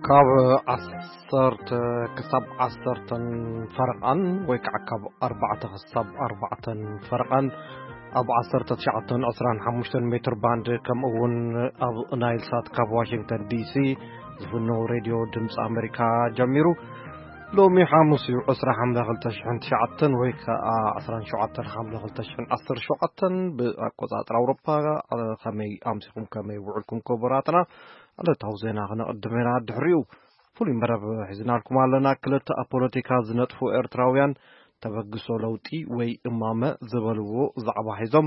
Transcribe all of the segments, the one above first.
ካብ ዓሰርተ ክሳብ ዓሰርተን ፈረቓን ወይ ከዓ ካብ ኣርባዕተ ክሳብ ኣርባዕተን ፈረቓን ኣብ ዓሰርተ ትሽዓተን ዕስራን ሓሙሽተን ሜትር ባንድ፣ ከምኡ እውን ኣብ ናይል ሳት ካብ ዋሽንግተን ዲሲ ዝፍነው ሬድዮ ድምፂ ኣሜሪካ ጀሚሩ። ሎሚ ሓሙስ እዩ፣ ዕስራ ሓምለ ክልተ ሽሕን ትሽዓተን ወይ ከዓ ዕስራን ሸውዓተን ሓምለ ክልተ ሽሕን ዓሰርተ ሸውዓተን ብኣቆፃፅራ ኣውሮፓ። ከመይ ኣምሲኹም፣ ከመይ ውዕልኩም ክቡራትና? ዕለታዊ ዜና ክነቕድም ኢና። ድሕሪኡ ፍሉይ መረብ ሒዝናልኩም ኣለና። ክልተ ኣብ ፖለቲካ ዝነጥፉ ኤርትራውያን ተበግሶ ለውጢ ወይ እማመ ዝበልዎ ዛዕባ ሒዞም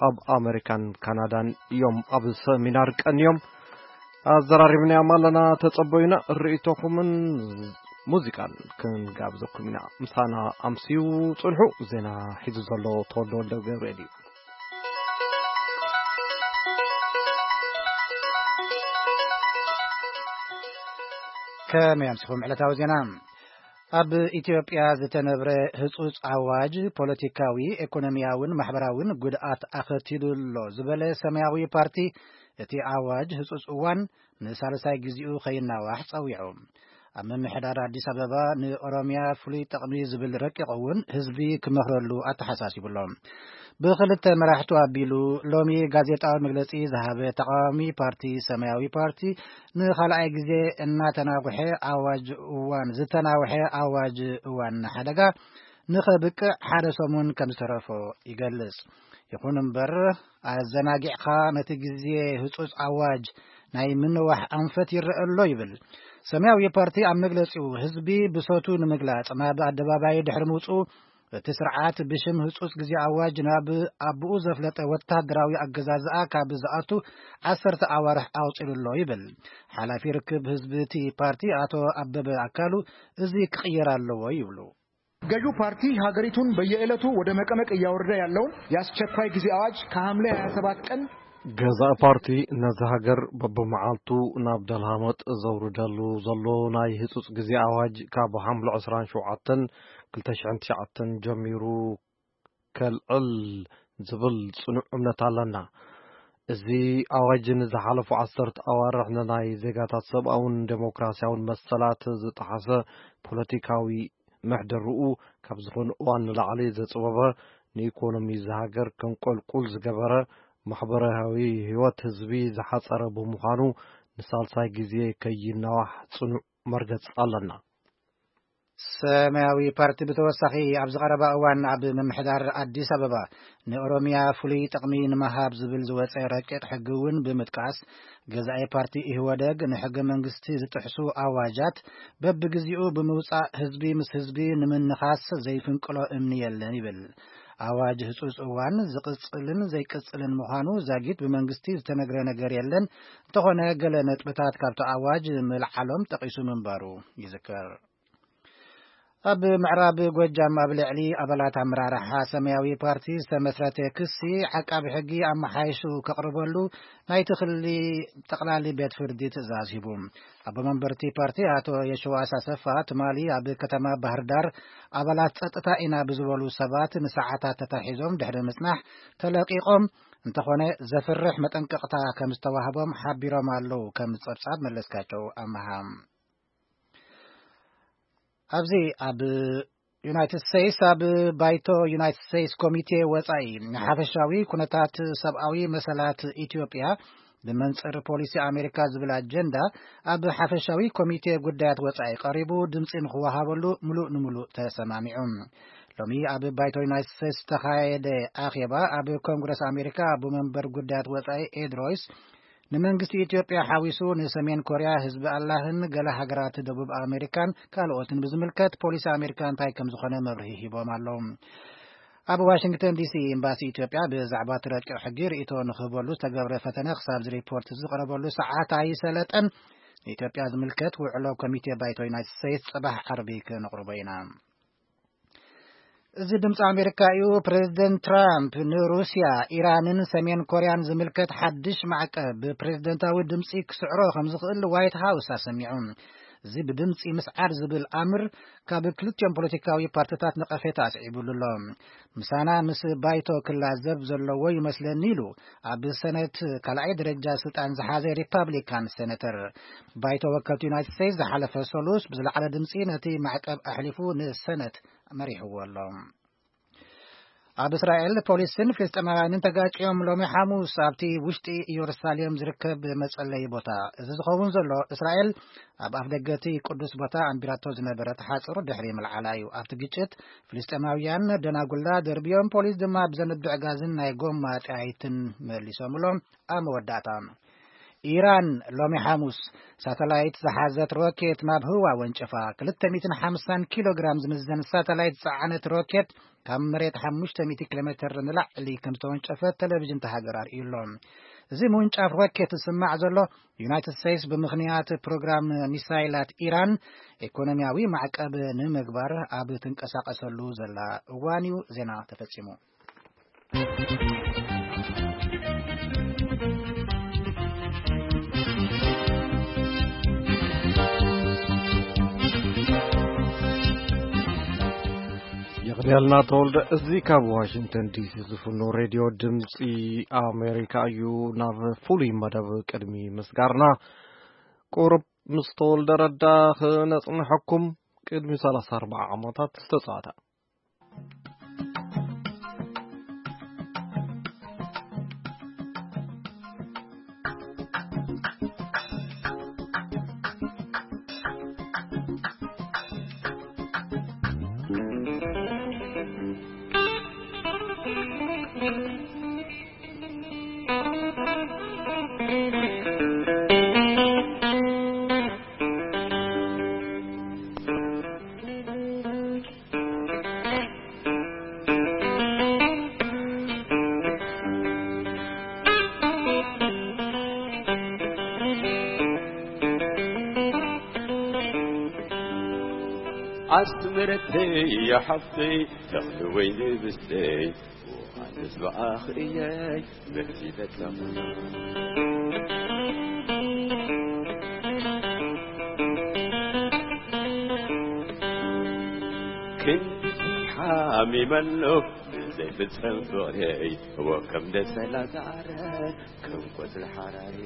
ኣብ ኣሜሪካን ካናዳን እዮም ኣብ ሰሚናር ቀንዮም። ኣዘራሪብናዮም ኣለና። ተጸበዩና። ርእይቶኹምን ሙዚቃን ክንጋብዘኩም ኢና። ምሳና ኣምስዩ ጽንሑ። ዜና ሒዙ ዘሎ ተወልደ ወልደ ገብርኤል እዩ። ከመይ ኣምሲኹም ዕለታዊ ዜና? ኣብ ኢትዮጵያ ዝተነብረ ህጹጽ ኣዋጅ ፖለቲካዊ፣ ኤኮኖሚያውን ማሕበራውን ጉድኣት ኣኸቲሉ ኣሎ ዝበለ ሰማያዊ ፓርቲ፣ እቲ ኣዋጅ ህጹጽ እዋን ንሳልሳይ ግዜኡ ከይናዋሕ ጸዊዑ። ኣብ ምምሕዳር ኣዲስ ኣበባ ንኦሮሚያ ፍሉይ ጥቕሚ ዝብል ረቂቕ እውን ህዝቢ ክመኽረሉ ኣተሓሳሲቡ ኣሎ። ብኽልተ መራሕቱ ኣቢሉ ሎሚ ጋዜጣዊ መግለጺ ዝሃበ ተቃዋሚ ፓርቲ ሰማያዊ ፓርቲ፣ ንኻልኣይ ግዜ እናተናውሐ ኣዋጅ እዋን፣ ዝተናውሐ ኣዋጅ እዋን ሓደጋ ንኸብቅዕ ሓደ ሰሙን ከም ዝተረፎ ይገልጽ። ይኹን እምበር፣ ኣዘናጊዕካ ነቲ ግዜ ህጹጽ ኣዋጅ ናይ ምንዋሕ ኣንፈት ይረአ ኣሎ ይብል። ሰማያዊ ፓርቲ ኣብ መግለጺኡ፣ ህዝቢ ብሶቱ ንምግላጽ ናብ ኣደባባይ ድሕሪ ምውጽኡ፣ እቲ ስርዓት ብሽም ህጹጽ ግዜ ኣዋጅ ናብ ኣቦኡ ዘፍለጠ ወታደራዊ ኣገዛዝኣ ካብ ዝኣቱ ዓሰርተ ኣዋርሕ ኣውጺሉ ኣሎ ይብል። ሓላፊ ርክብ ህዝቢ እቲ ፓርቲ ኣቶ ኣበበ ኣካሉ፣ እዚ ክቕየር ኣለዎ ይብሉ። ገዢው ፓርቲ ሀገሪቱን በየዕለቱ ወደ መቀመቅ እያወረደ ያለውን የአስቸኳይ ጊዜ አዋጅ ከሐምሌ ሃያ ሰባት ቀን ገዛኢ ፓርቲ ነዚ ሃገር በብመዓልቱ ናብ ደልሃመት ዘውርደሉ ዘሎ ናይ ህጹጽ ግዜ ኣዋጅ ካብ ሓምለ ዕስራን ሸውዓተን ክልተ ሽሕን ትሽዓተን ጀሚሩ ከልዕል ዝብል ጽኑዕ እምነት ኣለና። እዚ ኣዋጅ ንዝሓለፉ ዓሰርተ ኣዋርሕ ንናይ ዜጋታት ሰብኣውን ዴሞክራሲያውን መሰላት ዝጠሓሰ፣ ፖለቲካዊ ምሕደርኡ ካብ ዝኾነ እዋን ንላዕሊ ዘጽበበ፣ ንኢኮኖሚ እዚ ሃገር ከንቆልቁል ዝገበረ፣ ማሕበራዊ ህይወት ህዝቢ ዝሓጸረ ብምዃኑ፣ ንሳልሳይ ግዜ ከይናዋሕ ጽኑዕ መርገጽ ኣለና። ሰማያዊ ፓርቲ ብተወሳኺ ኣብዚ ቀረባ እዋን ኣብ ምምሕዳር ኣዲስ ኣበባ ንኦሮሚያ ፍሉይ ጥቕሚ ንምሃብ ዝብል ዝወጸ ረቂቕ ሕጊ እውን ብምጥቃስ፣ ገዛኢ ፓርቲ ኢህወደግ ንሕገ መንግስቲ ዝጥሕሱ ኣዋጃት በብግዜኡ ብምውጻእ ህዝቢ ምስ ህዝቢ ንምንኻስ ዘይፍንቅሎ እምኒ የለን ይብል። ኣዋጅ ህጹጽ እዋን ዝቕጽልን ዘይቅጽልን ምዃኑ ዛጊት ብመንግስቲ ዝተነግረ ነገር የለን። እንተኾነ ገለ ነጥብታት ካብቲ ኣዋጅ ምልዓሎም ጠቒሱ ምንባሩ ይዝከር። ኣብ ምዕራብ ጎጃም ኣብ ልዕሊ ኣባላት ኣመራርሓ ሰማያዊ ፓርቲ ዝተመስረተ ክሲ ዓቃቢ ሕጊ ኣመሓይሹ ከቕርበሉ ናይቲ ክሊ ጠቕላሊ ቤት ፍርዲ ትእዛዝ ሂቡ። ኣቦ መንበርቲ ፓርቲ ኣቶ የሸዋስ ኣሰፋ ትማሊ ኣብ ከተማ ባህር ዳር ኣባላት ጸጥታ ኢና ብዝበሉ ሰባት ንሰዓታት ተታሒዞም ድሕሪ ምጽናሕ ተለቂቖም፣ እንተኾነ ዘፍርሕ መጠንቀቕታ ከም ዝተዋህቦም ሓቢሮም ኣለዉ። ከም ጸብጻብ መለስካቸው ኣመሃ። ኣብዚ ኣብ ዩናይትድ ስቴትስ ኣብ ባይቶ ዩናይትድ ስቴትስ ኮሚቴ ወጻኢ ንሓፈሻዊ ኩነታት ሰብኣዊ መሰላት ኢትዮጵያ ብመንጽር ፖሊሲ ኣሜሪካ ዝብል ኣጀንዳ ኣብ ሓፈሻዊ ኮሚቴ ጉዳያት ወጻኢ ቀሪቡ ድምጺ ንክወሃበሉ ምሉእ ንምሉእ ተሰማሚዑ። ሎሚ ኣብ ባይቶ ዩናይትድ ስቴትስ ዝተኻየደ ኣኼባ ኣብ ኮንግረስ ኣሜሪካ ኣቦ መንበር ጉዳያት ወጻኢ ኤድ ሮይስ ንመንግስቲ ኢትዮጵያ ሓዊሱ ንሰሜን ኮርያ፣ ህዝቢ ኣላህን ገለ ሃገራት ደቡብ ኣሜሪካን ካልኦትን ብዝምልከት ፖሊሲ ኣሜሪካ እንታይ ከም ዝኾነ መብርሂ ሂቦም ኣለዉ። ኣብ ዋሽንግተን ዲሲ ኤምባሲ ኢትዮጵያ ብዛዕባ እቲ ረቂቕ ሕጊ ርእይቶ ንክህበሉ ዝተገብረ ፈተነ ክሳብ እዚ ሪፖርት ዝቐረበሉ ሰዓት ኣይሰለጠን። ንኢትዮጵያ ዝምልከት ውዕሎ ኮሚቴ ባይቶ ዩናይትድ ስቴትስ ጽባሕ ዓርቢ ክነቕርቦ ኢና። እዚ ድምፂ ኣሜሪካ እዩ። ፕሬዚደንት ትራምፕ ንሩስያ፣ ኢራንን ሰሜን ኮርያን ዝምልከት ሓድሽ ማዕቀብ ብፕሬዚደንታዊ ድምፂ ክስዕሮ ከም ዝኽእል ዋይት ሃውስ ኣሰሚዑ። እዚ ብድምጺ ምስዓር ዝብል ኣምር ካብ ክልቲኦም ፖለቲካዊ ፓርቲታት ነቐፌታ ኣስዒቡሉ ኣሎ። "ምሳና ምስ ባይቶ ክላዘብ ዘለዎ ይመስለኒ" ኢሉ ኣብ ሰነት ካልኣይ ደረጃ ስልጣን ዝሓዘ ሪፓብሊካን ሴነተር። ባይቶ ወከልቲ ዩናይትድ ስቴትስ ዝሓለፈ ሰሉስ ብዝለዓለ ድምጺ ነቲ ማዕቀብ ኣሕሊፉ ንሰነት መሪሕዎ ኣሎ። ኣብ እስራኤል ፖሊስን ፍልስጤማውያንን ተጋጭዮም ሎሚ ሓሙስ ኣብቲ ውሽጢ ኢየሩሳሌም ዝርከብ መጸለዪ ቦታ። እዚ ዝኸውን ዘሎ እስራኤል ኣብ ኣፍደገ እቲ ቅዱስ ቦታ ኣንቢራቶ ዝነበረት ሓጹር ድሕሪ ምልዓላ እዩ። ኣብቲ ግጭት ፍልስጤማውያን ደናጉላ ደርብዮም፣ ፖሊስ ድማ ብዘንብዕ ጋዝን ናይ ጎማ ጠያይትን መሊሶምሎም። ኣብ መወዳእታ፣ ኢራን ሎሚ ሓሙስ ሳተላይት ዝሓዘት ሮኬት ናብ ህዋ ወንጨፋ። ክልተ ሚእትን ሓምሳን ኪሎ ግራም ዝምዘን ሳተላይት ዝጸዓነት ሮኬት ካብ መሬት ሓሙሽተ ሚእቲ ኪሎ ሜትር ንላዕሊ ከም ዝተወንጨፈት ቴሌቪዥን እታ ሃገር ኣርእዩ ኣሎ። እዚ ምውንጫፍ ሮኬት ዝስማዕ ዘሎ፣ ዩናይትድ ስቴትስ ብምኽንያት ፕሮግራም ሚሳይላት ኢራን ኢኮኖሚያዊ ማዕቀብ ንምግባር ኣብ ትንቀሳቐሰሉ ዘላ እዋን እዩ። ዜና ተፈጺሙ። የቕንየልና ተወልደ። እዚ ካብ ዋሽንግተን ዲሲ ዝፍኖ ሬድዮ ድምፂ ኣሜሪካ እዩ። ናብ ፍሉይ መደብ ቅድሚ ምስጋርና፣ ቁሩብ ምስ ተወልደ ረዳ ክነጽንሐኩም። ቅድሚ ሰላሳ ኣርባዓ ዓመታት ዝተጻወተ። ኣስመረተይ ሓፍተይ ተኽሊ ወይኒ ብስተይ ኣነስ ብኣኽ እየይ መርዚ በጸኹ። ክንድዚ ሓሚመ ኣሎ ዘይፍጸም ፍቕረይ፣ እዎ ከም ደሰላ ዝዓረር ከም ቆጽሊ ሓራይ።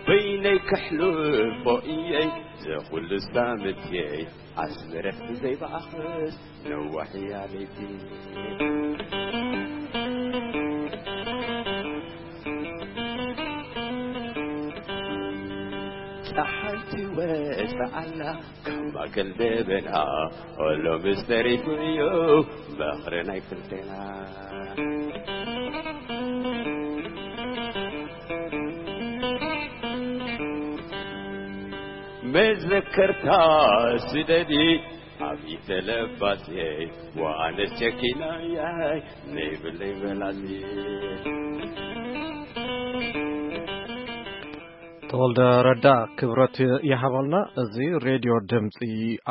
በይነይ ከሕልፎ እየይ ዘኹሉ ሳምትየይ፣ ኣስመረት ብዘይ ብኣኽስ ነዋሕ እያ ለይቲ። ጸሓይ ትወጽእ ኣላ ካብ ማእከል ደበና፣ ኦሎ ምስ ተሪፉ እዩ መኽረ ናይ ክልቴና። መዘከርታ ስደዲ ኣብ ኢተለባሴ፣ ወኣነስ ቸኪናያይ ነይብለይ በላሲ። ተወልደ ረዳ ክብረት ይሃበልና። እዚ ሬድዮ ድምፂ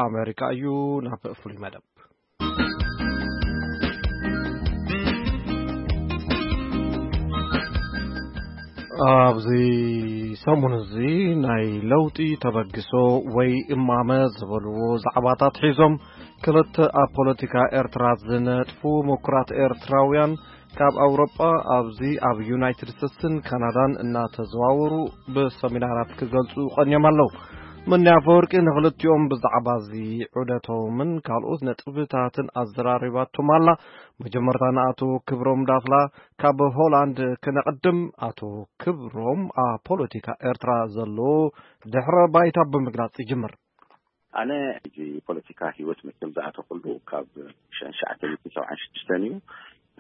ኣሜሪካ እዩ። ናብ ፍሉይ መደብ። ኣብዚ ሰሙን እዚ ናይ ለውጢ ተበግሶ ወይ እማመ ዝበልዎ ዛዕባታት ሒዞም ክልተ ኣብ ፖለቲካ ኤርትራ ዝነጥፉ ምኩራት ኤርትራውያን ካብ ኣውሮጳ ኣብዚ ኣብ ዩናይትድ ስቴትስን ካናዳን እናተዘዋወሩ ብሰሚናራት ክገልጹ ቀንዮም ኣለዉ። ምንያ ኣፈወርቂ ንኽልቲኦም ብዛዕባ እዚ ዑደቶምን ካልኦት ነጥብታትን ኣዘራሪባቶም ኣላ። መጀመርታ ንኣቶ ክብሮም ዳፍላ ካብ ሆላንድ ክነቕድም። ኣቶ ክብሮም፣ ኣብ ፖለቲካ ኤርትራ ዘሎ ድሕረ ባይታ ብምግላጽ ይጅምር። ኣነ እዚ ፖለቲካ ህይወት መቸም ዝኣተኹሉ ካብ ሸንሸዓተ ሚእትን ሰብዓን ሽዱሽተን እዩ።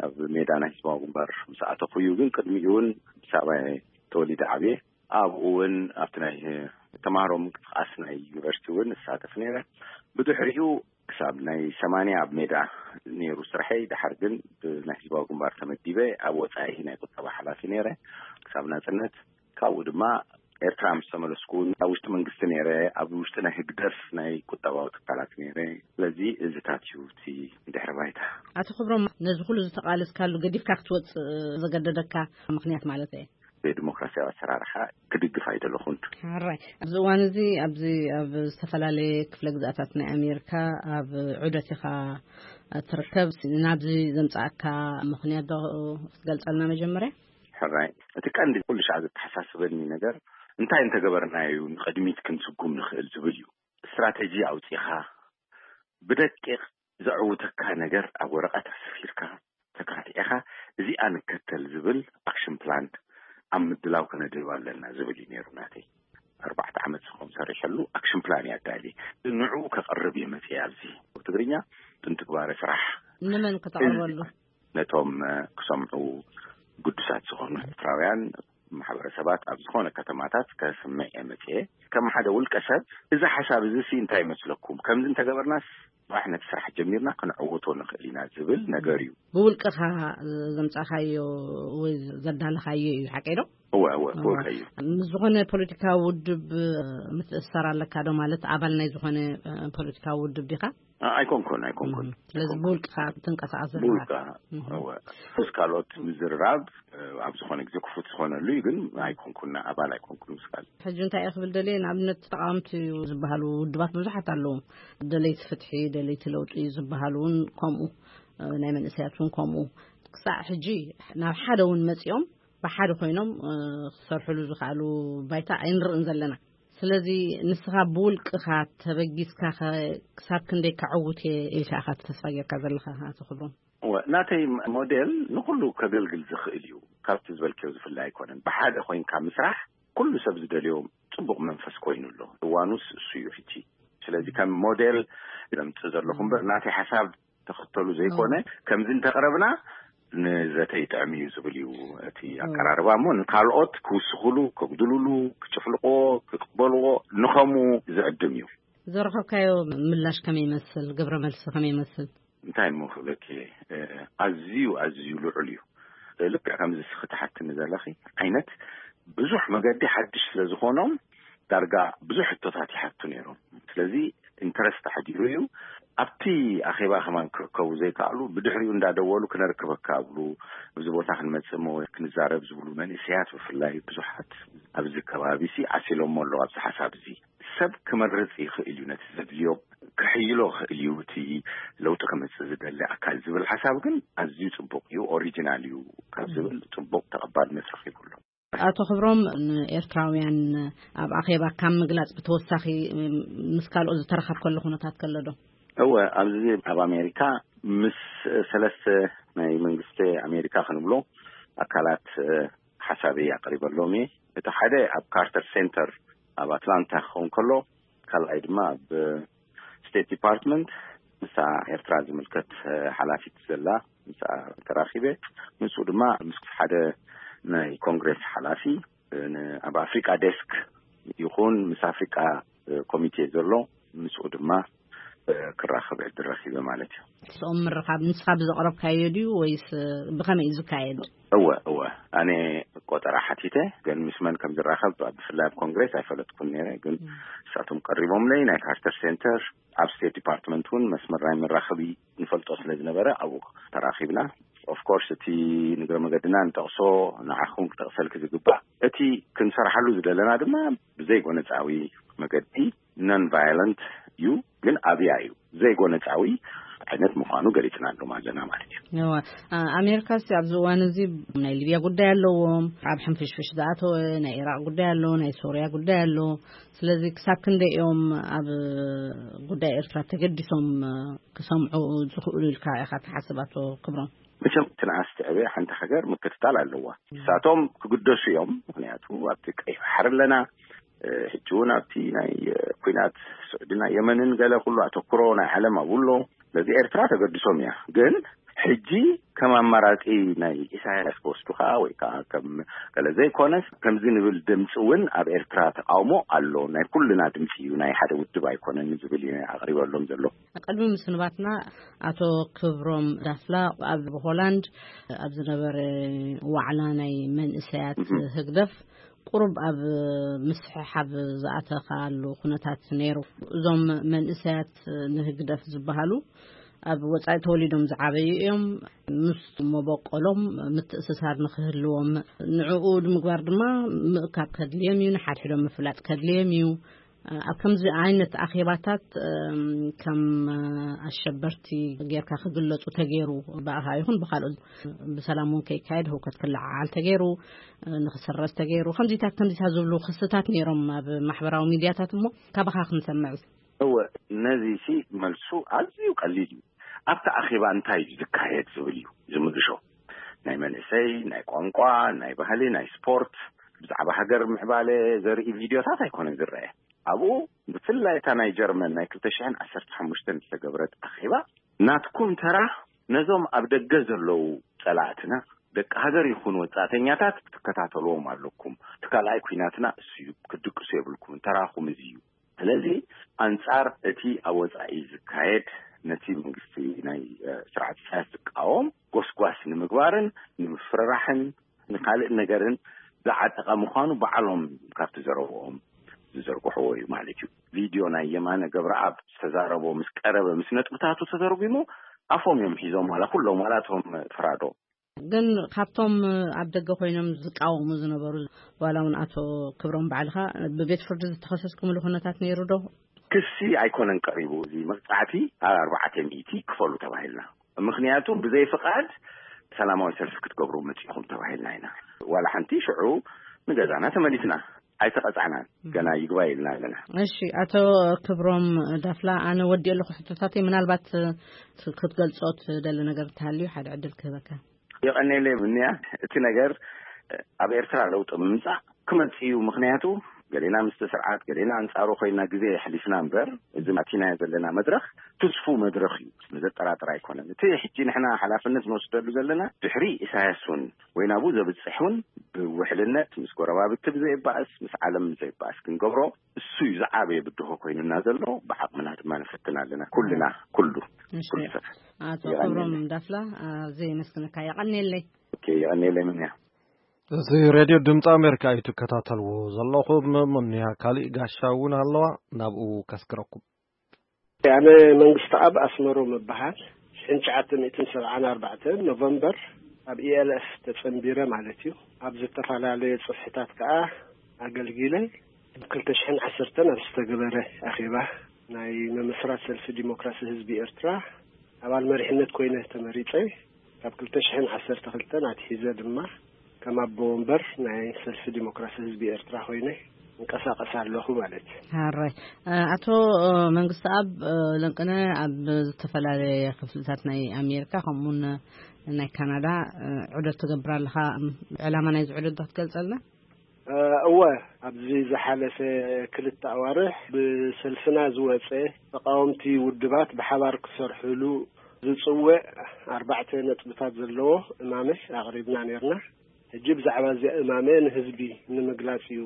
ኣብ ሜዳ ናይ ህዝባዊ ግንባር ምስ ኣተኹ እዩ። ግን ቅድሚኡ እውን ኣዲስ ኣበባ እየ ተወሊደ ዓብየ። ኣብኡ እውን ኣብቲ ናይ ተማሃሮ ምንቅስቃስ ናይ ዩኒቨርሲቲ እውን እሳተፍ ነይረ። ብድሕሪኡ ክሳብ ናይ ሰማንያ ኣብ ሜዳ ነይሩ ስርሐይ። ድሓር ግን ብናይ ህዝባዊ ግንባር ተመዲበ ኣብ ወፃኢ ናይ ቁጠባ ሓላፊ ነይረ ክሳብ ናፅነት። ካብኡ ድማ ኤርትራ ምስ ተመለስኩ እውን ኣብ ውሽጢ መንግስቲ ነይረ፣ ኣብ ውሽጢ ናይ ህግደፍ ናይ ቁጠባዊ ትካላት ነይረ። ስለዚ እዚታት እዩ እቲ ድሕሪ ባይታ። ኣቶ ክብሮም፣ ነዚ ኩሉ ዝተቓለስካሉ ገዲፍካ ክትወጽእ ዘገደደካ ምኽንያት ማለት እየ? ብዲሞክራሲያዊ ኣሰራርሓ ክድግፍ ኣይደለኹን። ሕራይ፣ ኣብዚ እዋን እዚ ኣብዚ ኣብ ዝተፈላለየ ክፍለ ግዝኣታት ናይ ኣሜሪካ ኣብ ዑደት ኢኻ ትርከብ። ናብዚ ዘምጻእካ ምኽንያት ዶ ክትገልጸልና መጀመርያ? ሕራይ፣ እቲ ቀንዲ ኩሉ ሻዕ ዘተሓሳስበኒ ነገር እንታይ እንተገበርናዩ ንቕድሚት ክንስጉም ንኽእል ዝብል እዩ። ስትራተጂ ኣውጺኻ ብደቂቕ ዘዕውተካ ነገር ኣብ ወረቐት ኣስፊርካ ተካቲዕኻ እዚኣ ንከተል ዝብል ኣክሽን ፕላን ኣብ ምድላው ከነድህብ ኣለና ዝብል እዩ ነይሩ ናተይ። ኣርባዕተ ዓመት ዝኸውን ሰሪሐሉ ኣክሽን ፕላን እየ ኣዳልየ። ንዕኡ ከቕርብ እየ መፅየ ኣብዚ ትግርኛ ብንትግባረ ስራሕ ንመን ክተቕርበሉ? ነቶም ክሰምዑ ግዱሳት ዝኾኑ ኤርትራውያን ማሕበረሰባት ኣብ ዝኾነ ከተማታት ከስምዕ እየ መፅየ። ከም ሓደ ውልቀ ሰብ እዚ ሓሳብ እዚ ሲ እንታይ ይመስለኩም፣ ከምዚ እንተገበርናስ ባሕ ነቲ ስራሕ ጀሚርና ክንዕውቶ ንኽእል ኢና ዝብል ነገር እዩ። ብውልቅኻ ዘምጻኻዮ ወይ ዘዳለኻዮ እዩ፣ ሓቀይ ዶ? እወ፣ እወ፣ እወ። ብውልቀይ እዩ። ምስ ዝኾነ ፖለቲካዊ ውድብ ምትእስሳር ኣለካ ዶ? ማለት ኣባል ናይ ዝኾነ ፖለቲካዊ ውድብ ዲኻ? ኣይኮንኩን፣ ኣይኮንኩን። ስለዚ ብውልቅኻ ትንቀሳቐስ ዘለኻ? ብውልቃ። እወ። ምስ ካልኦት ምዝርራብ ኣብ ዝኾነ ግዜ ክፉት ዝኾነሉ እዩ፣ ግን ኣይኮንኩን፣ ኣባል ኣይኮንኩን ምስ ካልእ። ሕጂ እንታይ እየ ክብል ደልየ፣ ንኣብነት ተቃወምቲ ዝበሃሉ ውድባት ብዙሓት ኣለዉ። ደለይቲ ፍትሒ፣ ደለይቲ ለውጢ ዝበሃሉ እውን ከምኡ፣ ናይ መንእሰያት እውን ከምኡ። ክሳዕ ሕጂ ናብ ሓደ እውን መጺኦም ብሓደ ኮይኖም ክሰርሕሉ ዝኽኣሉ ባይታ ኣይንርእን ዘለና። ስለዚ ንስኻ ብውልቅኻ ተበጊስካ ክሳብ ክንደይ ከዕውት እየ ኢልካ ኢኻ ተስፋ ጌርካ ዘለኻ ኣቶ ክብሮም? እወ፣ ናተይ ሞዴል ንኹሉ ከገልግል ዝኽእል እዩ። ካብቲ ዝበልክዮ ዝፍለ ኣይኮነን። ብሓደ ኮይንካ ምስራሕ ኩሉ ሰብ ዝደልዮ ጽቡቕ መንፈስ ኮይኑ ኣሎ። እዋኑስ እሱ እዩ ሕጂ። ስለዚ ከም ሞዴል ዘምጽእ ዘለኹ እምበር ናተይ ሓሳብ ተኸተሉ ዘይኮነ፣ ከምዚ እንተቕረብና ንዘተ ይጥዕም እዩ ዝብል እዩ እቲ ኣቀራርባ። እሞ ንካልኦት ክውስኹሉ፣ ከጉድሉሉ፣ ክጭፍልቕዎ፣ ክቕበልዎ ንኸምኡ ዝዕድም እዩ። ዘረኸብካዮ ምላሽ ከመይ ይመስል? ግብረ መልሲ ከመይ ይመስል? እንታይ እሞ ክብለኪ፣ ኣዝዩ ኣዝዩ ልዑል እዩ። ልክዕ ከምዚ እስኺ ትሓትኒ ዘለኺ ዓይነት ብዙሕ መገዲ ሓድሽ ስለ ዝኾኖም ዳርጋ ብዙሕ ሕቶታት ይሓቱ ነይሮም። ስለዚ ኢንተረስት ኣሕዲሩ እዩ። ኣብቲ ኣኼባ ከማን ክርከቡ ዘይከኣሉ ብድሕሪኡ እንዳደወሉ ክነርክበካ ኣብሉ፣ ኣብዚ ቦታ ክንመጽእ እሞ ክንዛረብ ዝብሉ መንእሰያት ብፍላይ ብዙሓት ኣብዚ ከባቢ ሲ ዓሲሎሞ ኣለዉ ኣብዚ ሓሳብ እዚ። ሰብ ክመርጽ ይኽእል እዩ ነቲ ዘድልዮ ክሕይሎ ይኽእል እዩ እቲ ለውጢ ክመጽእ ዝደሊ ኣካል ዝብል ሓሳብ ግን ኣዝዩ ጽቡቕ እዩ፣ ኦሪጂናል እዩ ካብ ዝብል ጽቡቕ ተቐባልነት ረኺቡ ኣሎ። ኣቶ ክብሮም፣ ንኤርትራውያን ኣብ ኣኼባ ካብ ምግላጽ ብተወሳኺ ምስ ካልኦት ዝተረኸብከሉ ኩነታት ከሎ ዶ? እወ፣ ኣብዚ ኣብ ኣሜሪካ ምስ ሰለስተ ናይ መንግስቲ ኣሜሪካ ክንብሎ ኣካላት ሓሳበይ ኣቕሪበሎም እየ። እቲ ሓደ ኣብ ካርተር ሴንተር ኣብ ኣትላንታ ክኸውን ከሎ፣ ካልኣይ ድማ ኣብ ስቴት ዲፓርትመንት ምስኣ ኤርትራ ዝምልከት ሓላፊት ዘላ ምስኣ ተራኺበ። ምስኡ ድማ ምስ ሓደ ናይ ኮንግሬስ ሓላፊ ን-፣ ኣብ ኣፍሪቃ ዴስክ ይኹን ምስ ኣፍሪቃ ኮሚቴ ዘሎ ምስኡ ድማ ክራኸብ ዕድል ረኺበ ማለት እዩ። ምስኦም ምርኻብ ንስኻ ብዘቕረብካዮ ድዩ ወይስ ብኸመይ እዩ ዝካየድ? እወ፣ እወ። ኣነ ቆጠራ ሓቲተ፣ ግን ምስ መን ከም ዝራኸብ ብፍላይ ኣብ ኮንግሬስ ኣይፈለጥኩን ነይረ። ግን ንሳቶም ቀሪቦምለይ፣ ናይ ካርተር ሴንተር ኣብ ስቴት ዲፓርትመንት እውን መስመር ናይ መራኸቢ ንፈልጦ ስለ ዝነበረ ኣብኡ ተራኺብና። ኦፍኮርስ እቲ ንግረ መገድና ንጠቕሶ ንዓኹም ክጠቕሰልኪ ዝግባእ፣ እቲ ክንሰርሓሉ ዝደለና ድማ ብዘይጎነጻዊ መገዲ ነን ቫዮለንት እዩ፣ ግን ኣብያ እዩ ዘይጎነጻዊ ዓይነት ምዃኑ ገሊጽናሎም ኣለና ማለት እዩ። እወ፣ ኣ-፣ ኣሜሪካ ሲ ኣብዚ እዋን እዚ ናይ ሊብያ ጉዳይ ኣለዎም፣ ኣብ ሕንፍሽፍሽ ዝኣተወ ናይ ኢራቅ ጉዳይ ኣሎ፣ ናይ ሶርያ ጉዳይ ኣሎ። ስለዚ ክሳብ ክንደይ እዮም ኣብ ጉዳይ ኤርትራ ተገዲሶም ክሰምዑ ዝኽእሉ ኢልካ ኢኻ ትሓስብ ኣቶ ክብሮም? መቸም ትንኣስ ትዕበ ሓንቲ ሃገር ምክትታል ኣለዋ። ንሳቶም ክግደሱ እዮም። ምኽንያቱ ኣብቲ ቀይሕ ባሕሪ ኣለና። እ፣ ሕጂ እውን ኣብቲ ናይ፣ እ፣ ኲናት ስዑድን ናይ የመንን ገለ ኩሉ ኣተኩሮ ናይ ዓለም ኣብኡ ኣሎ። ስለዚ ኤርትራ ተገድሶም እያ። ግን ሕጂ ከም ኣማራጺ ናይ ኢሳያስ ክወስዱኻ ወይ ከዓ ከም ገለ ዘይኮነስ፣ ከምዚ ንብል ድምፂ እውን ኣብ ኤርትራ ተቃውሞ ኣሎ። ናይ ኩልና ድምፂ እዩ፣ ናይ ሓደ ውድብ ኣይኮነን ዝብል እዩ ኣቕሪበሎም ዘሎ። ቅድሚ ምስንባትና፣ ኣቶ ክብሮም ዳፍላ ኣብ ሆላንድ ኣብ ዝነበረ ዋዕላ ናይ መንእሰያት ህግደፍ ቁሩብ ኣብ ምስሕሓብ ዝኣተኻሉ ኩነታት ነይሩ። እዞም መንእሰያት ንህግደፍ ዝበሃሉ ኣብ ወጻኢ ተወሊዶም ዝዓበዩ እዮም። ምስ መበቆሎም ምትእስሳር ንኽህልዎም፣ ንዕኡ ንምግባር ድማ ምእካብ ከድልዮም እዩ፣ ንሓድሕዶም ምፍላጥ ከድልዮም እዩ። ኣብ ከምዚ ዓይነት ኣኼባታት፣ እም፣ ከም ኣሸበርቲ ጌርካ ክግለጹ ተገይሩ፣ ብኣኻ ይኹን ብኻልኦት፣ ብሰላም እውን ከይካየድ ህውከት ክለዓዓል ተገይሩ፣ ንኽስረዝ ተገይሩ፣ ከምዚታት ከምዚታት ዝብሉ ክስታት ነይሮም ኣብ ማሕበራዊ ሚድያታት። እሞ ካባኻ ክንሰምዕ። እወ፣ ነዚ ሲ መልሱ ኣዝዩ ቀሊል እዩ። ኣብቲ ኣኼባ እንታይ እዩ ዝካየድ ዝብል እዩ ዝምልሾ። ናይ መንእሰይ፣ ናይ ቋንቋ፣ ናይ ባህሊ፣ ናይ ስፖርት፣ ብዛዕባ ሃገር ምዕባለ ዘርኢ ቪድዮታት ኣይኮነን ዝረአ። ኣብኡ ብፍላይ እታ ናይ ጀርመን ናይ ክልተ ሽሕን ዓሰርተ ሓሙሽተን ዝተገብረት ኣኼባ፣ ናትኩም ተራ ነዞም ኣብ ደገ ዘለዉ ጸላእትና ደቂ ሃገር ይኹኑ ወጻእተኛታት ትከታተልዎም ኣለኩም። እቲ ካልኣይ ኲናትና እሱ እዩ፣ ክትድቅሱ የብልኩምን፣ ተራኹም እዚ እዩ። ስለዚ ኣንጻር እቲ ኣብ ወጻኢ ዝካየድ፣ ነቲ መንግስቲ ናይ፣ እ፣ ስርዓት ኢሳያስ ዝቃወም ጎስጓስ ንምግባርን ንምፍርራሕን ንካልእ ነገርን ዝዓጠቐ ምዃኑ ባዕሎም ካብቲ ዘረብኦም ዝዘርግሕዎ እዩ ማለት እዩ። ቪድዮ ናይ የማነ ገብረኣብ ዝተዛረቦ ምስ ቀረበ፣ ምስ ነጥብታቱ ተተርጒሙ፣ ኣፎም እዮም ሒዞም፣ ዋላ ኩሎም፣ ዋላ እቶም ፍራዶ። ግን ካብቶም ኣብ ደገ ኮይኖም ዝቃወሙ ዝነበሩ፣ ዋላ እውን ኣቶ ክብሮም ባዕልኻ፣ ብቤት ፍርዲ ዝተኸሰስኩምሉ ኩነታት ነይሩ ዶ? ክሲ ኣይኮነን ቀሪቡ፣ እዚ መቕጻዕቲ ኣብ ኣርባዕተ ሚእቲ ክፈሉ ተባሂልና። ምኽንያቱ ብዘይ ፍቓድ ሰላማዊ ሰልፊ ክትገብሩ መጺኹም ተባሂልና ኢና። ዋላ ሓንቲ ሽዑ ንገዛና ተመሊስና፣ ኣይተቐጻዕናን። ገና ይግባይ ኢልና ኣለና። እሺ፣ ኣቶ ክብሮም ዳፍላ፣ ኣነ ወዲኦ ኣለኹ ሕቶታተይ። ምናልባት ክትገልጾ ትደሊ ነገር እንተሃልዩ ሓደ ዕድል ክህበካ። የቐኔለይ ምንያ፣ እቲ ነገር ኣብ ኤርትራ ለውጢ ምምጻእ ክመጽእ እዩ። ምኽንያቱ ገሌና ምስቲ ስርዓት፣ ገሌና ኣንጻሩ ኮይና ግዜ የሕሊፍና እምበር፣ እዚ ኣቲናዮ ዘለና መድረኽ ትስፉው መድረኽ እዩ። ዘጠራጥር ኣይኮነን። እቲ ሕጂ ንሕና ሓላፍነት ንወስደሉ ዘለና፣ ድሕሪ ኢሳያስ እውን ወይ ናብኡ ዘብጽሕ እውን፣ ብውሕልነት ምስ ጎረባብቲ ብዘየባእስ፣ ምስ ዓለም ብዘየባእስ ክንገብሮ፣ እሱ እዩ ዝዓበየ ብድሆ ኮይኑና ዘሎ። ብዓቕምና ድማ ንፈትን ኣለና። ኩልና፣ ኩሉ፣ እሺ። ኩሉ ሰብ። ኣቶ የቐንየለይ። ክብሮም ዳፍላ፣ ኣዝየ የመስግነካ። የቐንየለይ። ኦኬ፣ የቐንየለይ ምንያ። እዚ ሬድዮ ድምፂ ኣሜሪካ እዩ ትከታተልዎ ዘለኹም። ምንያ፣ ካሊእ ጋሻ እውን ኣለዋ፣ ናብኡ ከስግረኩም። ኣነ መንግስቲ ኣብ ኣስመሮም እበሃል። ሽሕን ትሽዓተ ሚእትን ሰብዓን ኣርባዕተን ኖቨምበር ኣብ ኢ ኤል ኤፍ ተጸንቢረ ማለት እዩ። ኣብ ዝተፈላለየ ጽፍሕታት ከኣ ኣገልጊለ። ኣብ ክልተ ሽሕን ዓሰርተን ኣብ ዝተገበረ ኣኼባ ናይ ምምስራት ሰልፊ ዲሞክራሲ ህዝቢ ኤርትራ ኣባል መሪሕነት ኮይነ ተመሪጸ። ካብ ክልተ ሽሕን ዓሰርተ ክልተን ኣትሒዘ ድማ ከም ኣቦ ወንበር ናይ ሰልፊ ዲሞክራሲ ህዝቢ ኤርትራ ኮይነ እንቀሳቐስ ኣለኹ ማለት እዩ። ሃራይ። እ፣ ኣቶ፣ እ፣ መንግስቲ ኣብ፣ እ፣ ለንቅነ ኣብ ዝተፈላለየ ክፍልታት ናይ ኣሜሪካ ከምኡውን ናይ ካናዳ፣ እ፣ ዑደት ትገብር ኣለኻ። ዕላማ ናይዚ ዑደት ዶ ክትገልጸልና? እ፣ እወ፣ ኣብዚ ዝሓለፈ ክልተ ኣዋርሕ ብሰልፍና ዝወጸ ተቃወምቲ ውድባት ብሓባር ክሰርሕሉ ዝጽውዕ ኣርባዕተ ነጥብታት ዘለዎ እማመ ኣቕሪብና ነርና። ሕጂ ብዛዕባ እዚ እማመ ንህዝቢ ንምግላጽ እዩ።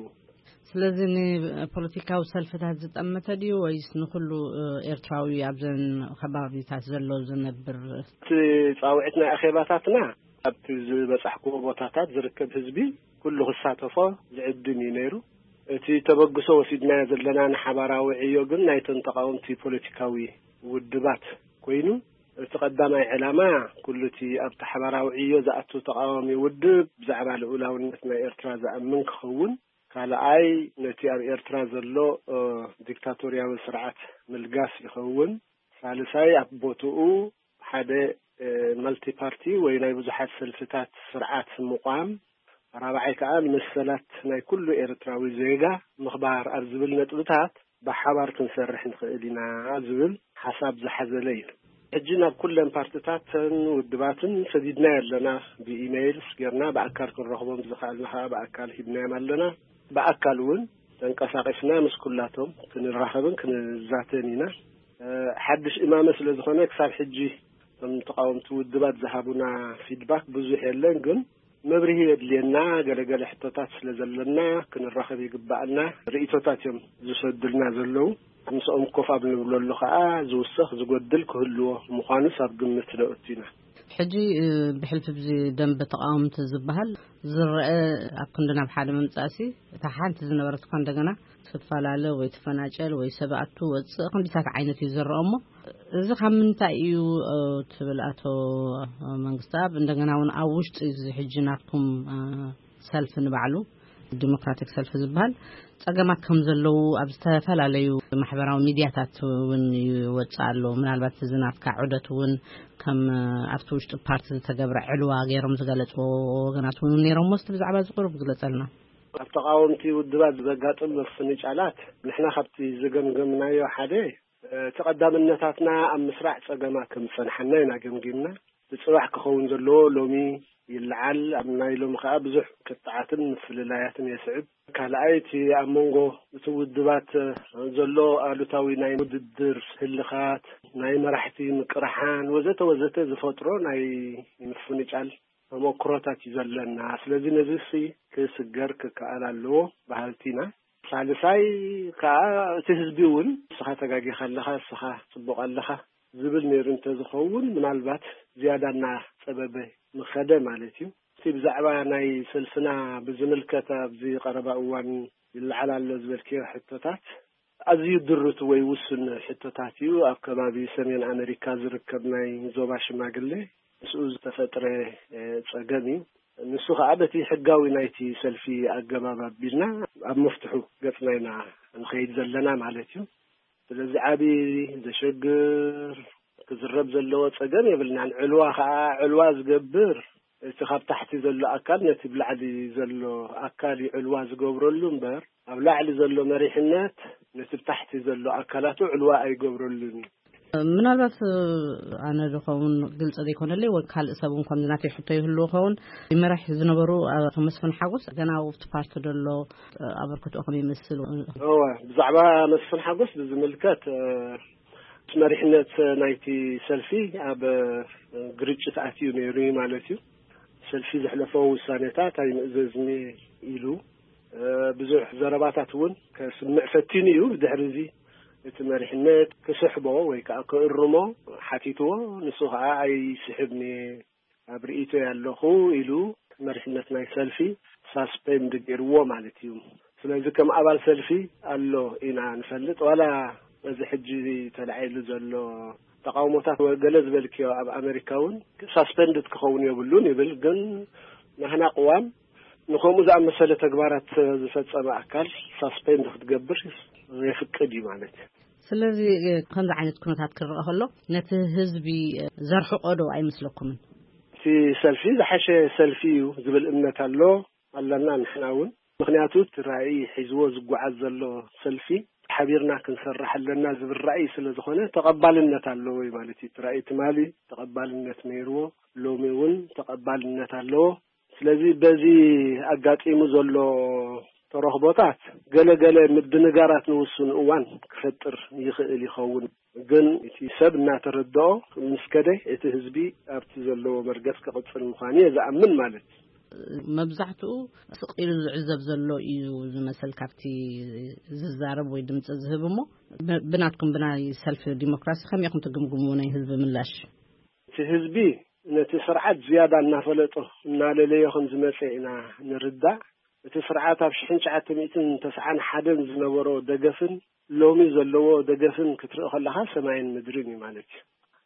ስለዚ ንፖለቲካዊ ሰልፍታት ዝጠመተ ድዩ ወይስ ንኹሉ፣ እ፣ ኤርትራዊ ኣብዘን ከባቢታት ዘሎ ዝነብር? እቲ ጻውዒት ናይ ኣኼባታትና ኣብቲ ዝበጻሕክዎ ቦታታት ዝርከብ ህዝቢ ኩሉ ክሳተፎ ዝዕድም እዩ ነይሩ። እቲ ተበግሶ ወሲድናዮ ዘለና ንሓባራዊ ዕዮ ግን ናይተን ተቃወምቲ ፖለቲካዊ ውድባት ኮይኑ፣ እቲ ቀዳማይ ዕላማ ኩሉ እቲ ኣብቲ ሓባራዊ ዕዮ ዝኣቱ ተቃዋሚ ውድብ ብዛዕባ ልኡላውነት ናይ ኤርትራ ዝኣምን ክኸውን፣ ካልኣይ ነቲ ኣብ ኤርትራ ዘሎ፣ እ፣ ዲክታቶርያዊ ስርዓት ምልጋስ ይኸውን፣ ሳልሳይ ኣብ ቦትኡ ሓደ፣ እ፣ መልቲ ፓርቲ ወይ ናይ ብዙሓት ሰልፍታት ስርዓት ምቋም፣ ራብዓይ ከኣ ንመሰላት ናይ ኩሉ ኤርትራዊ ዜጋ ምኽባር ኣብ ዝብል ነጥብታት ብሓባር ክንሰርሕ ንኽእል ኢና ዝብል ሓሳብ ዝሓዘለ እዩ። ሕጂ ናብ ኩለን ፓርትታትን ውድባትን ሰዲድናዮ ኣለና። ብኢሜይልስ ጌርና፣ ብኣካል ክንረኽቦም ዝኸኣልና ከኣ ብኣካል ሂብናዮም ኣለና። ብኣካል እውን ተንቀሳቒስና ምስ ኩላቶም ክንራኸብን ክንዛተን ኢና። እ፣ ሓድሽ እማመ ስለ ዝኾነ ክሳብ ሕጂ እቶም ተቃወምቲ ውድባት ዝሃቡና ፊድባክ ብዙሕ የለን፣ ግን መብርሂ የድልየና፣ ገለገለ ሕቶታት ስለ ዘለና ክንራኸብ ይግባኣና፣ ርእይቶታት እዮም ዝሰዱልና ዘለዉ። ምስኦም ኮፍ ኣብ ንብለሉ ከዓ ዝውሰኽ ዝጎድል ክህልዎ ምዃኑስ ኣብ ግምት ነእቱ ኢና። ሕጂ ብሕልፊ ብዚ ደንበ ተቃወምቲ ዝበሃል ዝረአ፣ ኣብ ክንዲ ናብ ሓደ ምምጻእሲ፣ እታ ሓንቲ ዝነበረት እኳ እንደገና ትፈላለ ወይ ትፈናጨል ወይ ሰብ ኣቱ ወፅእ ክንዲታት ዓይነት እዩ ዝረአ። እሞ እዚ ካብ ምንታይ እዩ ትብል ኣቶ መንግስቲ ኣብ እንደገና እውን ኣብ ውሽጢ እዚ ሕጂ ናትኩም ሰልፊ ንባዕሉ ዲሞክራቲክ ሰልፊ ዝበሃል ጸገማት ከም ዘለዉ ኣብ ዝተፈላለዩ ማሕበራዊ ሚድያታት እውን ይወጽእ ኣሎ። ምናልባት እዚ ናትካ ዑደት እውን ከም ኣብቲ ውሽጢ ፓርቲ ዝተገብረ ዕልዋ ገይሮም ዝገለጽዎ ወገናት እውን ነይሮም። ስ ብዛዕባ እዚ ቁሩብ ግለጸልና። ኣብ ተቃወምቲ ውድባት ዘጋጥም ምፍንጫላት ንሕና ካብቲ ዝገምገምናዮ ሓደ እቲ ቀዳምነታትና ኣብ ምስራዕ ጸገማት ከም ዝጸንሓና ኢና ገምጊምና። እቲ ጽባሕ ክኸውን ዘለዎ ሎሚ ይለዓል። ኣብ ናይ ሎሚ ከኣ ብዙሕ ክትዓትን ምፍልላያትን የስዕብ። ካልኣይ እቲ ኣብ መንጎ እቲ ውድባት ዘሎ ኣሉታዊ ናይ ውድድር ህልኻት፣ ናይ መራሕቲ ምቅርሓን ወዘተ ወዘተ ዝፈጥሮ ናይ ምፍንጫል ተመክሮታት እዩ ዘለና። ስለዚ ነዚ ሲ ክስገር ክከኣል ኣለዎ በሃልቲ ኢና። ሳልሳይ ከዓ እቲ ህዝቢ እውን ንስኻ ተጋጊኻ ኣለኻ፣ ንስኻ ጽቡቕ ኣለኻ ዝብል ነይሩ እንተዝኸውን ምናልባት ዝያዳ እናጸበበ ምኸደ ማለት እዩ። እቲ ብዛዕባ ናይ ሰልፍና ብዝምልከት ኣብዚ ቀረባ እዋን ይለዓል ኣሎ ዝበልክዮ ሕቶታት ኣዝዩ ድሩት ወይ ውሱን ሕቶታት እዩ። ኣብ ከባቢ ሰሜን ኣመሪካ ዝርከብ ናይ ዞባ ሽማግሌ ምስኡ ዝተፈጥረ ጸገም እዩ። ንሱ ከዓ በቲ ሕጋዊ ናይቲ ሰልፊ ኣገባብ ኣቢልና ኣብ መፍትሑ ገጽና ኢና ንኸይድ ዘለና ማለት እዩ። ስለዚ ዓቢ ዘሸግር ክዝረብ ዘለዎ ጸገም የብልናን። ዕልዋ ከዓ ዕልዋ ዝገብር እቲ ካብ ታሕቲ ዘሎ ኣካል ነቲ ብላዕሊ ዘሎ ኣካል እዩ ዕልዋ ዝገብረሉ እምበር ኣብ ላዕሊ ዘሎ መሪሕነት ነቲ ብታሕቲ ዘሎ ኣካላቱ ዕልዋ ኣይገብረሉን እዩ። ምናልባት ኣነ ዝኸውን ግልፂ ዘይኮነለይ ወይ ካልእ ሰብ እውን ከምዚ ናተይ ሕቶ ይህልዎ ኸውን። ይመራሕ ዝነበሩ ኣቶ መስፍን ሓጎስ ገና ኣብቲ ፓርቲ ደሎ ኣበርክትኦ ከም ይመስል። እወ፣ ብዛዕባ መስፍን ሓጎስ ብዝምልከት መሪሕነት ናይቲ ሰልፊ ኣብ ግርጭት ኣትዩ ነይሩ እዩ ማለት እዩ። ሰልፊ ዘሕለፎ ውሳኔታት ኣይምእዘዝኒ ኢሉ ብዙሕ ዘረባታት እውን ከስምዕ ፈቲኑ እዩ። ብድሕሪ እዚ እቲ መሪሕነት ክስሕቦ ወይ ከዓ ክእርሞ ሓቲትዎ። ንሱ ከዓ ኣይስሕብኒ ኣብ ርእይቶ ያለኹ ኢሉ መሪሕነት ናይ ሰልፊ ሳስፔንድ ገይርዎ ማለት እዩ። ስለዚ ከም ኣባል ሰልፊ ኣሎ ኢና ንፈልጥ። ዋላ እዚ ሕጂ ተላዒሉ ዘሎ ተቃውሞታት ወ-፣ ገለ ዝበልክዮ ኣብ ኣመሪካ እውን ሳስፔንድድ ክኸውን የብሉን ይብል። ግን ናህና ቅዋም ንከምኡ ዝኣመሰለ ተግባራት ዝፈጸመ ኣካል ሳስፔንድ ክትገብር የፍቅድ እዩ ማለት እዩ። ስለዚ ከምዚ ዓይነት ኩነታት ክረአ ከሎ ነቲ ህዝቢ ዘርሕቆ ዶ ኣይመስለኩምን? እቲ ሰልፊ ዝሓሸ ሰልፊ እዩ ዝብል እምነት ኣሎ ኣለና ንሕና እውን። ምክንያቱ እቲ ራእይ ሒዝዎ ዝጓዓዝ ዘሎ ሰልፊ ሓቢርና ክንሰርሕ ኣለና ዝብል ራእይ ስለ ዝኾነ ተቐባልነት ኣለዎ እዩ ማለት እዩ። እቲ ራእይ ትማሊ ተቐባልነት ነይርዎ፣ ሎሚ እውን ተቐባልነት ኣለዎ። ስለዚ በዚ ኣጋጢሙ ዘሎ ተረኽቦታት ገለ ገለ ምድንጋራት ንውሱን እዋን ክፈጥር ይኽእል ይኸውን። ግን እቲ ሰብ እናተረድኦ ምስ ከደ እቲ ህዝቢ ኣብቲ ዘለዎ መርገጽ ክቕጽል ምዃኑ እየ ዝኣምን ማለት እዩ። መብዛሕትኡ ስቕ ኢሉ ዝዕዘብ ዘሎ እዩ ዝመስል ካብቲ ዝዛረብ ወይ ድምፂ ዝህብ። እሞ ብ-፣ ብናትኩም ብናይ ሰልፊ ዲሞክራሲ ከመይ ኢኹም ትግምግሙ ናይ ህዝቢ ምላሽ? እቲ ህዝቢ ነቲ ስርዓት ዝያዳ እናፈለጦ እናለለዮ ከም ዝመፀ ኢና ንርዳእ። እቲ ስርዓት ኣብ ሽሕን ትሽዓተ ሚእትን ተስዓን ሓደን ዝነበሮ ደገፍን ሎሚ ዘለዎ ደገፍን ክትርኢ ከለኻ ሰማይን ምድርን እዩ ማለት እዩ።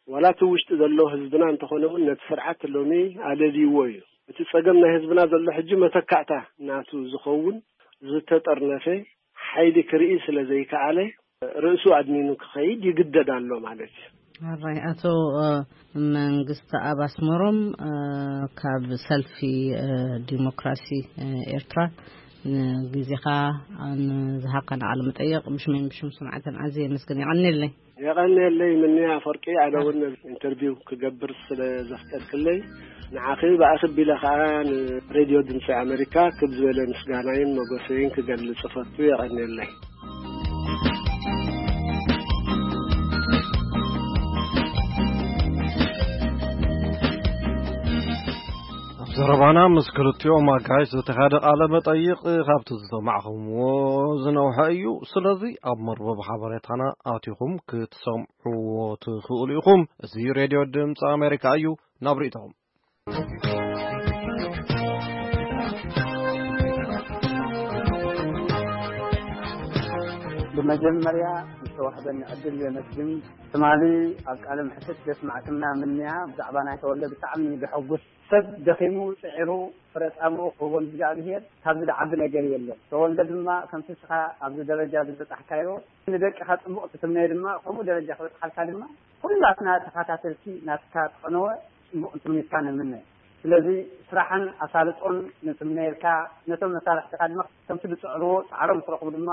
ዋላ እቲ ውሽጢ ዘሎ ህዝብና እንተኾነ እውን ነቲ ስርዓት ሎሚ ኣለልይዎ እዩ። እቲ ጸገም ናይ ህዝብና ዘሎ ሕጂ መተካእታ ናቱ ዝኸውን ዝተጠርነፈ ሓይሊ ክርኢ ስለ ዘይከኣለ ርእሱ ኣድኒኑ ክኸይድ ይግደድ ኣሎ ማለት እዩ። ኣራይ ኣቶ መንግስቲ ኣብ ኣስመሮም ካብ ሰልፊ ዲሞክራሲ ኤርትራ ንግዜኻ ንዝሃብካና ቃለ መጠየቕ ብሽመይን ብሽም ሰማዕተን ኣዝየ የመስግን። የቐንየለይ። የቐንየለይ ምንያ ኣፈወርቂ፣ ኣነ እውን ኢንተርቪው ክገብር ስለ ዘፍቀድክለይ ንዓኺ ብኣኽቢለ ከዓ ንሬድዮ ድምፂ ኣሜሪካ ክብ ዝበለ ምስጋናይን መጎሰይን ክገልጽ እፈቱ። የቐንየለይ። ዘረባና ምስ ክልቲኦም ኣጋይሽ ዝተኻደ ቃለ መጠይቕ ካብቲ ዝሰማዕኹምዎ ዝነውሐ እዩ። ስለዚ ኣብ መርበብ ሓበሬታና ኣቲኹም ክትሰምዕዎ ትኽእሉ ኢኹም። እዚ ሬድዮ ድምፂ ኣሜሪካ እዩ። ናብ ርእይቶኹም። ብመጀመርያ ዝተዋህበኒ ዕድል የመስግን። ትማሊ ኣብ ቃለ መሕትት ዘስማዕክና ምንያ ብዛዕባ ናይ ተወልደ ብጣዕሚ ዘሐጉስ፣ ሰብ ደኺሙ ጽዒሩ ፍረ ጻምኡ ክህቦ ንእግዚኣብሄር ካብዚ ዝዓቢ ነገር የለን። ተወልደ ድማ ከምቲ ንስኻ ኣብዚ ደረጃ ዝበጻሕካዮ ንደቅኻ ጽቡቕ ትትምነዮ ድማ ከምኡ ደረጃ ክበጽሓልካ ድማ ኩላትና ተኸታተልቲ ናትካ ክቐነወ ጽቡቕ ትምኒትካ ንምነ። ስለዚ ስራሕን ኣሳልጦን ንጽምነየልካ፣ ነቶም መሳርሕትኻ ድማ ከምቲ ዝጽዕርዎ ጻዕሮም ክረኽቡ ድማ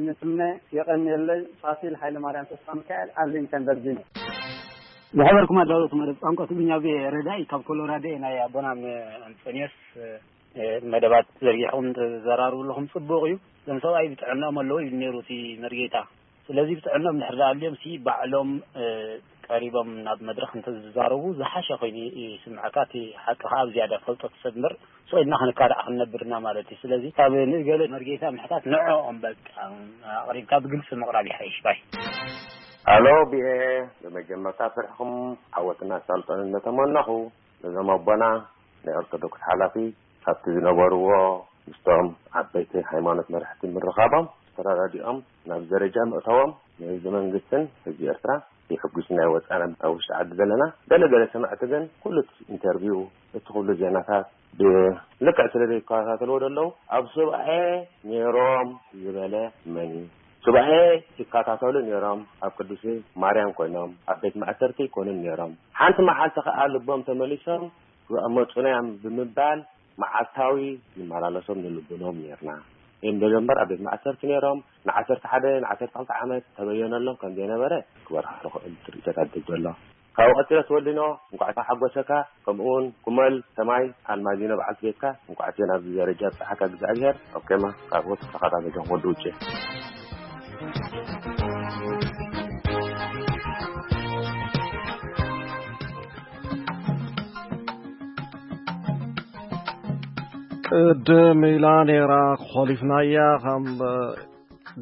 ንጽምነ። የቐንየለይ። ፋሲል ሃይለማርያም ተስፋ ሚካኤል፣ ኣርሊንግተን ቨርጂኒያ። ዝኸበርኩም ኣዳለውቲ መደብ ቋንቋ ትግርኛ ቪኦኤ ረዳኢ ካብ ኮሎራዶ እየ። ናይ ኣቦና ም-፣ ኣንጦንዮስ፣ እ፣ መደባት ዘርጊሕኩም ትዘራርቡ ኣለኹም፣ ጽቡቕ እዩ። እዞም ሰብኣይ ብጥዕናኦም ኣለዉ ኢሉ ነይሩ እቲ መርጌታ። ስለዚ ብጥዕናኦም እንድሕር ደኣ ኣልዮም ሲ ባዕሎም፣ እ፣ ቀሪቦም ናብ መድረኽ እንተዝዛረቡ ዝሓሸ ኮይኑ ይስምዐካ። እቲ ሓቂ ከኣ ኣብ ዝያዳ ፈልጦ ትሰምር። ስቕ ኢልና ክንካዳዕ ክንነብርና ማለት እዩ። ስለዚ ካብ ንእገለ መርጌታ ምሕታት ንዕኦም በቃ ኣቕሪብካ ብግልጺ ምቕራብ ይሓይሽ ባይ። ኣሎ ቪኦኤ፣ ብመጀመርታ ስርሕኹም ዓወትን ኣሳልጦን እናተመነኹ፣ ነዞም ኣቦና ናይ ኦርቶዶክስ ሓላፊ ካብቲ ዝነበርዎ ምስቶም ዓበይቲ ሃይማኖት መራሕቲ ምርኻቦም፣ ተረዳዲኦም ናብ ደረጃ ምእታዎም ንህዝቢ መንግስትን ህዝቢ ኤርትራ የሐጉስና እዩ። ወጻና ኣብ ውሽጢ ዓዲ ዘለና ገለ ገለ ሰማዕቲ ግን ኩሉ እቲ ኢንተርቪው፣ እቲ ኩሉ ዜናታት ብልክዕ ስለ ዘይከታተልዎ ዘለዉ፣ ኣብ ሱባኤ ነይሮም ዝበለ መን እዩ? ሱባኤ ይከታተሉ ነይሮም፣ ኣብ ቅዱስ ማርያም ኮይኖም፣ ኣብ ቤት ማእሰርቲ ይኮኑን ነይሮም። ሓንቲ መዓልቲ ከኣ ልቦም ተመሊሶም ክመጹና እዮም ብምባል መዓልታዊ ንመላለሶም ንልብኖም ነይርና። እዮም ደሎ እምበር ኣብ ቤት ማእሰርቲ ነይሮም። ንዓሰርተ ሓደ ንዓሰርተ ክልተ ዓመት ተበየነሎም ከም ዘይነበረ ክበርሃ ንኽእል ትርኢቶታት ደሎ። ካብኡ ቀጺለ ትወልኖ እንኳዕ ተሓጎሰካ፣ ከምኡውን ኩመል ሰማይ ኣልማዚኖ በዓልቲ ቤትካ እንኳዕ እቲ ናብዚ ደረጃ ኣብጽሓካ እግዚኣብሔር። ኦኬማ፣ ካብኡ ተኸታተልካ ወዲ ውጭ። ቅድም ኢላ ነይራ፣ ኾሊፍናያ። ካብ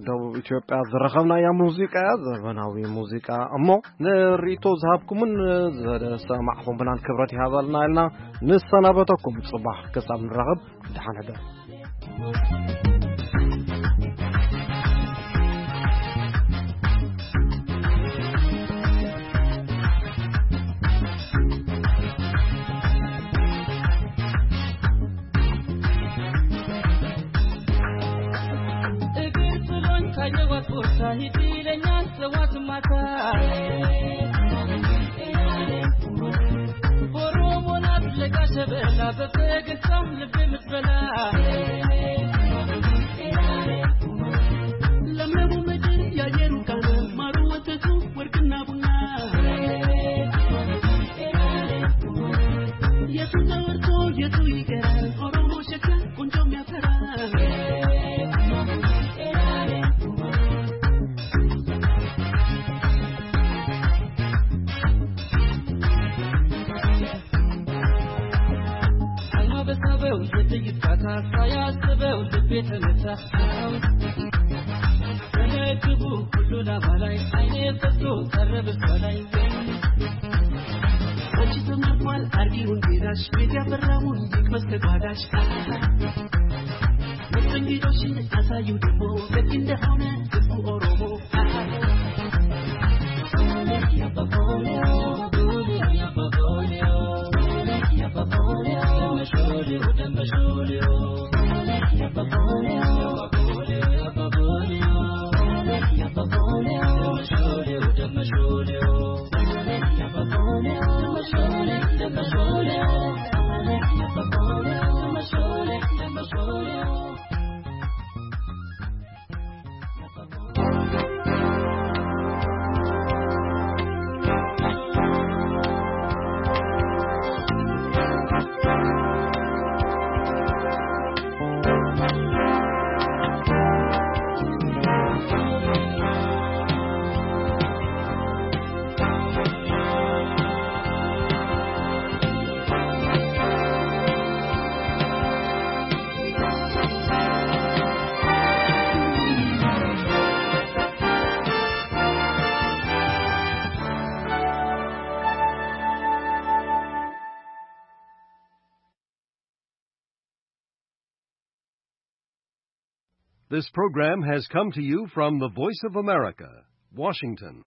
ደቡብ ኢትዮጵያ ዝረኸብናያ ሙዚቃ እያ፣ ዘበናዊ ሙዚቃ። እሞ ንሪቶ ዝሃብኩምን ዘሰማዕኹምናን ክብረት ይሃበልና ኢልና ንሰናበተኩም። ጽባሕ ክሳብ ንራኸብ፣ ደሓን ሕደሩ። እግር ጥሎኝ ካየዋት ቦታ ሂድ ይለኛል ጠዋት ማታ። ቦሮቦ ናት ለጋ ሸበላ በፈገግታ ልብ የምትበላ። ለምለሙ ምድር የአየሩ ቃና ማሩ ወተቱ ወርቅና ቡና። የቱ ተወርቶ የቱ ይቀራል? ኦሮሞ ሸጋ ቆንጆ የሚያፈራ። አይኗ በሳበው የጥይት ቃታ ሳያስበው ልቤ ተመታ። ተመግቡ ሁሉ ላባ ላይ አይኔ ፈቶ ቀረ በሷ ላይ። አንቺ ተመርጧል አርጊውን ጌታሽ ቤት ያፈራውን ይቅመስ ከጓዳሽ። መስተንግዶሽን አሳዩ ደግሞ ደግ እንደሆነ ህዝቡ ኦሮሞ። This program has come to you from the Voice of America, Washington.